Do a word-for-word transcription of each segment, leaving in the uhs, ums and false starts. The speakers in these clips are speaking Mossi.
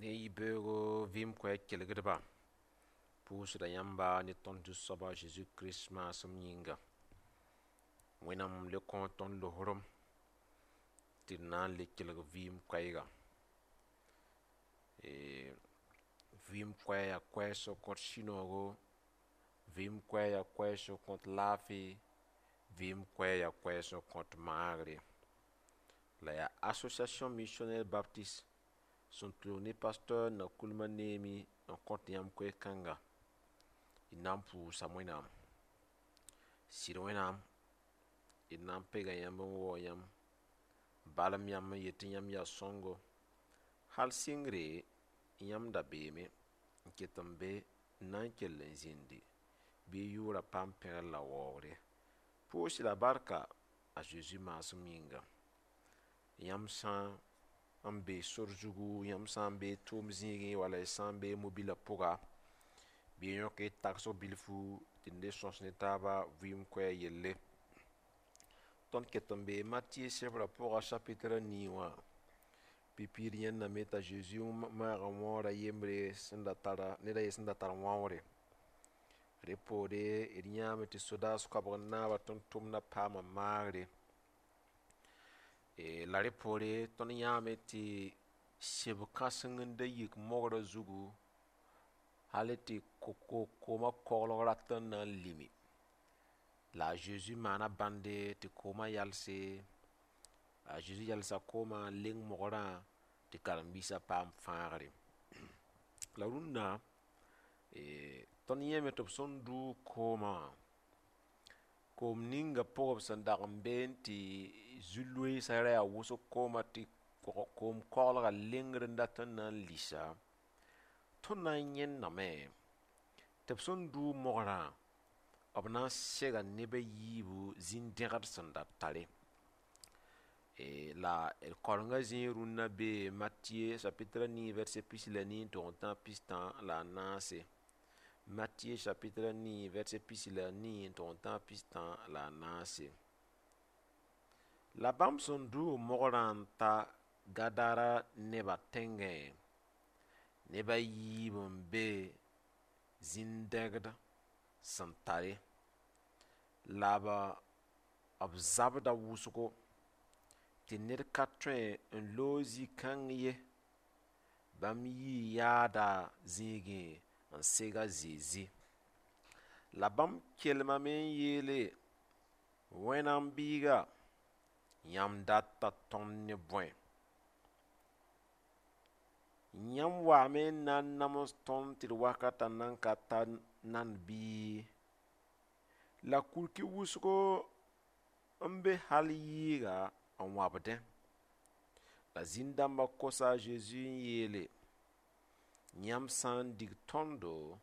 Ne yibeoogo vɩɩm koɛɛg kelgdba, pʋʋsda yãmba ne tõnd Zu-soab a Zeezi Kirist maasem yĩnga. Wẽnnaam le kõ tõnd losrem tɩ d na n le kelg vɩɩm koɛɛga. Vɩɩm koɛɛg yaa koɛɛg sẽn kõt sũ-noogo, vɩɩm koɛɛg yaa koɛɛg sẽn kõt laafɩ, vɩɩm koɛɛg yaa koɛɛg sẽn kõt maagre. La yaa Association Missionnaire Baptiste sẽn tʋlg ne pasteur Nakulma Neemi n kõt yãmb koe-kãnga. D na n pʋʋsa Wẽnnaam. Sɩd Wẽnnaam, d na n pega yãmb n waoog yãmb, balem yãmb n yet tɩ yãmb yaa sõngo. Hal sɩngre, yãmb da beeme n ket n be n na n kell n zĩndi bɩ y yʋʋra paam pẽgr la waoogre. Pʋʋs-y la barka a Zeezi maasem yĩnga. Yãmb sã n be sor zugu, yãmb sã n be tʋʋm zĩigẽ wala y sã n be mobilã pʋga, bɩ y yõk y tagsg bilfu tɩ d le sõs ne taaba vɩɩm koɛɛg yelle. Tõnd ket n bee Matɩye sebrã pʋga chapitre a nii wã, pipi d yãndame t'a Zeezi maag n wãoora yembre sẽn da tara ned a ye sẽn da tar wãoore. Rẽ poore d yãame tɩ sodaas koabg n naaba tʋm-tʋmdã paama maagre. La rẽ poore tõnd yãame tɩ seb kãseng n da yik mogrã zugu hal tɩ koomã koglg rat n na n limi. La a Zeezi maana bãnde tɩ koomã yalse, a Zeezi yalsa koomã n leng mogrã tɩ karen-biisã paam fãagre. La rũndã, tõnd yãame tɩ b sẽn dʋʋg koomã wã, koom ninga pʋgẽ b sẽn dag n beẽ tɩ zu-loeesã ra yaa wʋsg koomã tɩ koom koglgã lengr n dat n na n lisa, tõnd na n yẽndame tɩ b sẽn dʋʋg mogrã, b na n sega neb a yiibu zĩn-dẽgd sẽn da tare. La d kaorengã zĩig rũnnã bee Matɩye chapitre a nii verset pis la nii n tog n tãag pistã la a naase. Matɩye chapitre a nii verset pis la a nii n tog n tãag pistã la a naase. La bãmb sẽn dʋʋg mogrã n ta Gadara nebã tẽngẽ, neb a yiib n be zĩn-dẽgd sẽn tare la b b zabda wʋsgo tɩ ned ka tõe n loog zĩ-kãng ye. Bãmb yii yaada zĩigẽ n seg a Zezi. La bãmb kelmame n yeele: Wẽnnaam biiga, yãmb data tõnd ne bõe? Yãmb waame n na n nams tõnd tɩ d wakatã nan ka ta nand bɩ? La kurki wʋsgo n be hal yɩɩga n wãbdẽ. La zĩn-dãmbã kosa a Zezi n yeele: yãmb sã n dig tõndo,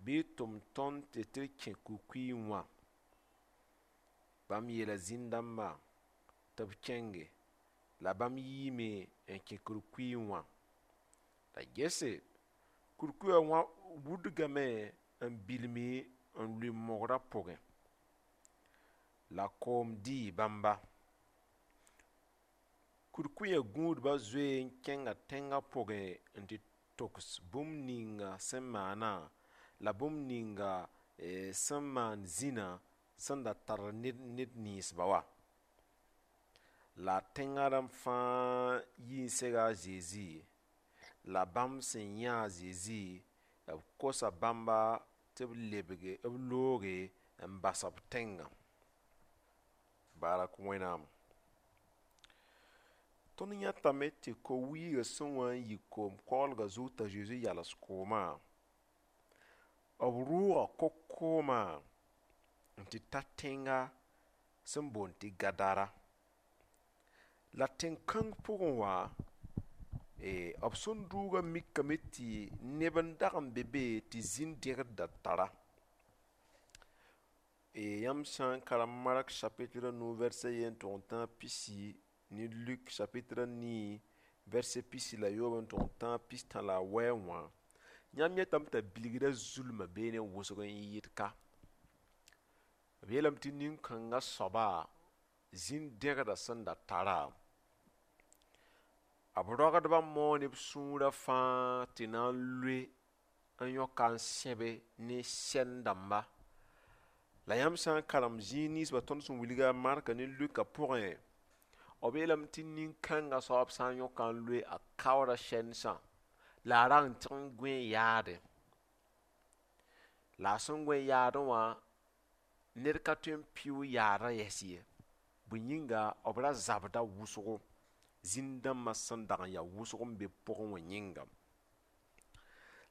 bɩ y tʋm tõnd tɩ tɩ d kẽ kʋɩ-kʋɩẽ wã. Bãmb yeela zĩn-dãmbã tɩ b kẽnge, la bãmb yiime n kẽ kurkuy wã. La gese, kurkuyã wã wudgame n bilmi n lʋɩ mogrã pʋgẽ. La koom dɩɩ bãmba. Kurkuyã gũudbã zoe n kẽnga tẽngã pʋgẽ n tɩ togs bũmb ninga sẽn maana la bũmb ninga sẽn maan zĩnã sẽn da tar ned ned ninsba wã. La tẽngã rãmb fãa yi n sega a Zezi, la bãmb sẽn yã a Zezi, b kosa bãmba tɩ b lebge b looge n bas b tẽngã. Barak Wẽnnaam. Tõnd yãtame tɩ ko-wiigã sẽn wa n yik koom-koglgã zug t'a Zezi yals koomã, b rʋʋga ko-koomã n tɩ ta tẽnga sẽn boond tɩ Gadara. La tẽn-kãng pʋgẽ wã, b sẽn dʋʋgã mikame tɩ neb n dag n be be tɩ zĩn-dẽgd da tara. Yãmb sã n karem Mark chapitre a nu verset yen n tog n tãag pisi ne Luk chapitre a nii verset pisi la yoob n tog n tãag pistã la a wɛɛ wã, yãmb yetame t'a bilgrã zulmã beene wʋsg n yɩɩd ka. B yeelame tɩ nin-kãngã soaba zĩn-dẽgdã sẽn da tara, B rogdbã moo ne b sũurã fãa tɩ na n loe n yõka n sẽbe ne sɛn-dãmba. La yãmb sã n karem zĩig ninsbã tõnd sẽn wilga Mark ne Luk pʋgẽ, b yeelame tɩ nin-kãngã soab sã n yõka n loe a kaooda sɛnsã la a rag n tɩg n gõe yaadẽ. La a sẽn gõe yaadẽ wã, ned ka tõe n pɩʋʋg yaadã yɛs ye. Bõe yĩnga b ra zabda wʋsgo, zĩn-dãmbã sẽn dag n yaa wʋsg n be pʋgẽ wã yĩnga.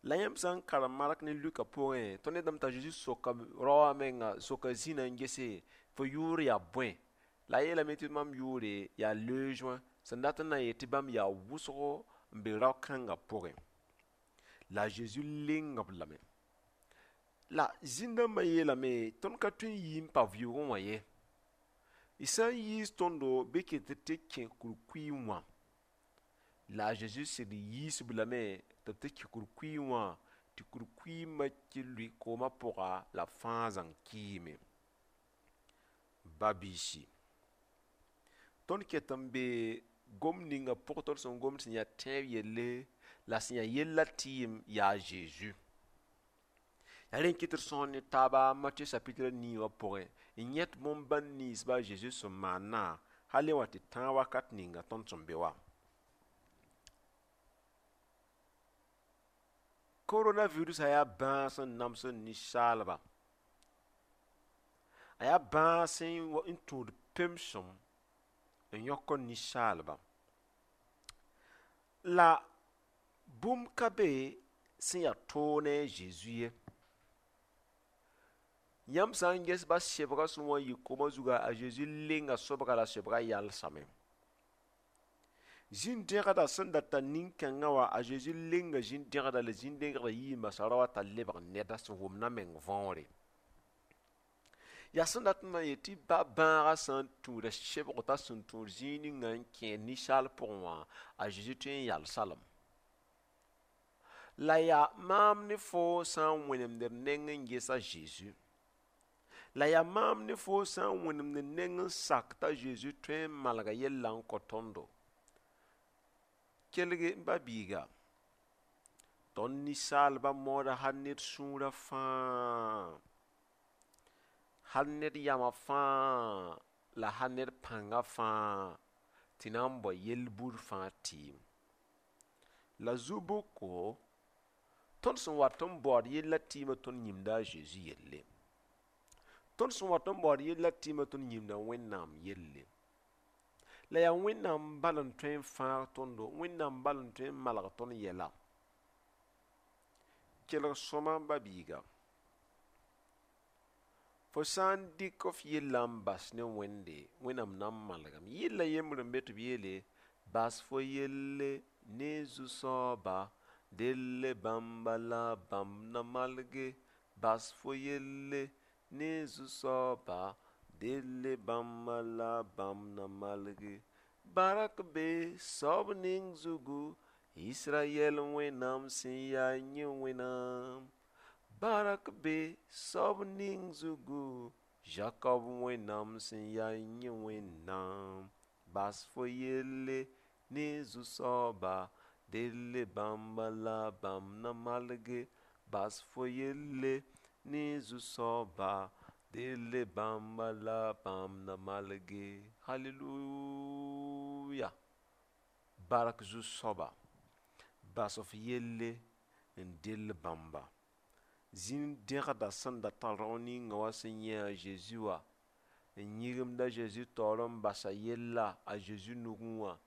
La yãmb sã n karem Mark ne Luka pʋgẽ, tõnd yetame t'a Zeezi soka rao wã menga, soka zĩnã n gese, fo yʋʋr yaa bõe? La a yeelame tɩ mam yʋʋre yaa Legiõ, sẽn dat n na n yeel tɩ bãmb yaa wʋsgo n be rao-kãngã pʋgẽ. La a Zeezi leng-b lame. La zĩn-dãmbã yeelame, tõnd ka tõe n yi n pa vɩʋʋgẽ wã ye. Y sã n yiis tõndo bɩ ket tɩ kẽ kurkuy wã. La a Zeezi sɩd yiis-b lame tɩ b tɩ kẽ kurkuy wã, tɩ kurkuy ki lʋɩ koomã pʋga la b fãa zãng kiime. Ba-biisi, tõnd ket n be gom ninga pʋg tõnd sẽn gomd sẽn yaa tẽeb yelle la sẽn yaa yella tɩɩm yaa Zeezi. Yaa rẽ n kɩt d sõs ne taaba Matɩyʋ chapitre a nii wã pʋgẽ n yẽt bõn-bãn ninsba a Zeezi sẽn maannã hal wã tɩ tãag wakat ninga tõnd sẽn be wã. Coronavirus yaa bãas sẽn namsd ninsaalba. A yaa bãas n tũud pemsem n yõk ninsaalba. La bũmb ka be sẽn yaa toog ne a Zeezi ye. Yãmb sã n ges ba sebgã sẽn wa n yɩ koomã zuga, a Zeezi lenga sobga la sobgã yalsame. Zĩn-dẽgdã sẽn dat t'a nin-kãngã wã, a Zeezi lenga zĩn-dẽgdã la zĩn-dẽgdã yii n basa rao wã t'a lebg neda sẽn wʋmd a meng võore. Yaa sẽn dat n na n yet tɩ ba bãagã sã n tũuda sebg t'a sẽn tũud zĩig ninga n kẽed ninsaal pʋgẽ wã, a Zeezi tõe n yalsa-lame. La yaa maam ne foo sã n wẽnemd d neng n ges a Zeezi. La yaa maam ne foo sã n wẽnemd d neng n sak t'a Zeezi tõe n malga yella n kõ tõndo. Kelg n ba-biiga, tõnd ninsaalbã mooda hal ned sũurã fãa, hal ned yamã fãa la hal ned pãngã fãa tɩ na n bao yel-bur fãa tɩɩm. La zu-bʋko, tõnd sẽn wat n baood yella tɩɩmã tõnd yĩmda a Zeezi yelle. Tõnd sẽn wat n baood yella tɩɩmã tõnd yĩmda Wẽnnaam yelle. La yaa Wẽnnaam bal n tõe n fãag tõndo, Wẽnnaam bal n tõe n malg tõnd yɛla. Kelg sõma n ba-biiga, fo sã n dɩk f yellã n bas ne Wẽnde, Wẽnnaam na n malgame. Yella yembr n be tɩ b yeele, bas fo yelle ne Zu-soaba, delle bãmba la bãmb na malge. Bas fo yelle ne Zu-soaba, delle bãmba la bãmb na malge. Barak be soab ning zugu, Israyɛl Wẽnnaam sẽn yaa yẽ Wẽnnaam. Barak be soab ning zugu, Jakob Wẽnnaam sẽn yaa yẽ Wẽnnaam. Bas fo yelle ne Zu-soaba, delle bãmba la bãmb na malge. Bas fo yelle ne Zu-soaba, delle bãmba la bãmb na malge. Hallelujah! Bark Zu-soaba, bas f yelle n dell bãmba. Zĩn-dẽgdã sẽn dat t'a rao ninga wã sẽn yẽ a Zeezi wã, n yĩgimd a Zeezi taoor n basa yella a Zeezi nugẽ wã,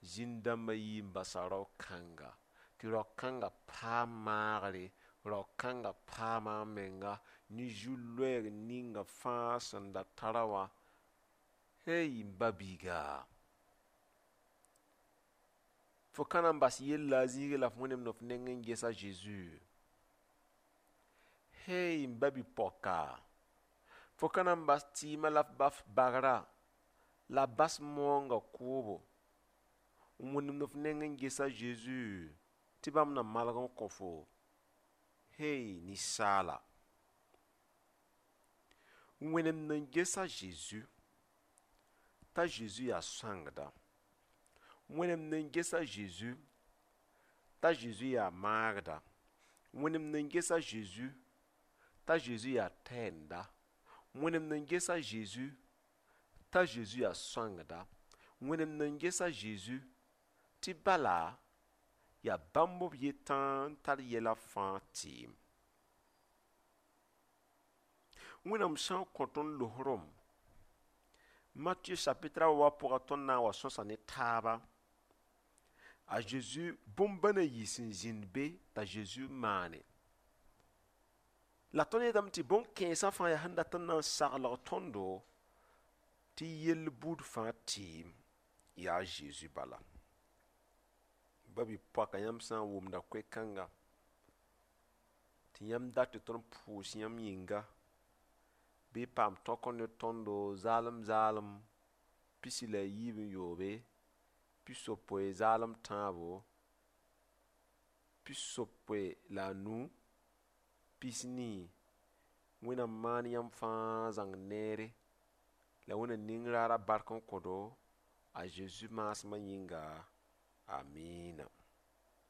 zĩn-dãmbã yii n basa rao-kãnga, tɩ rao-kãngã paam maagre, rao-kãngã paama a menga ne zu-loɛɛg ninga fãa sẽn da tara wã. Hey, m ba-biiga, fo ka na n bas yella a zĩigẽ la f wẽnemd f neng n ges a Zeezi. Hey, m ba-bi-poaka, fo ka na n bas tɩɩmã la f ba f bagrã la bas moongã kʋʋbo n wẽnemd f neng n ges a Zeezi tɩ bãmb na malg n kõ fo. Hey, ninsaala, wẽnemd n ges a Zeezi t'a Zeezi yaa sõangda. Wẽnem nan ges a Zeezi t'a Zeezi yaa maagda. Wẽnem nan ges a Zeezi t'a Zeezi yaa tɛɛnda. Wẽnem nan ges a Zeezi t'a Zeezi yaa sõangda. Wẽnem nan ges a Zeezi tɩ bala yaa bãmb b yetã n tar yɛla fãa tɩɩm. Wẽnnaam sã n kõ tõnd losrem, Matthieu chapitre a wa pʋga tõnd na n wa sõsa ne taaba, a Zeezi bõn-bãna yi sẽn zĩnd be t'a Zeezi maane. La tõnd yetame tɩ bõn-kẽensã fãa yaa sẽn dat n na n saglg tõndo tɩ yell buud fãa tɩɩm yaa a Zeezi bala. Ba-bi-poaka yãmb sã n wʋmda koe-kãnga tɩ yãmb dat tɩ tõnd pʋʋs yãmb yĩnga bɩ y paam tõk ne tõndo zaalem zaalem pisi la a yiib n yoobe, pisopoe zaalem tãabo, pisopoe la a nu, pis-nii. Wẽnnaam maan yãmb fãa zãng neere la Wẽnnaam ning raara bark n kõ-do a Zeezi maasmã yĩnga. Amiina.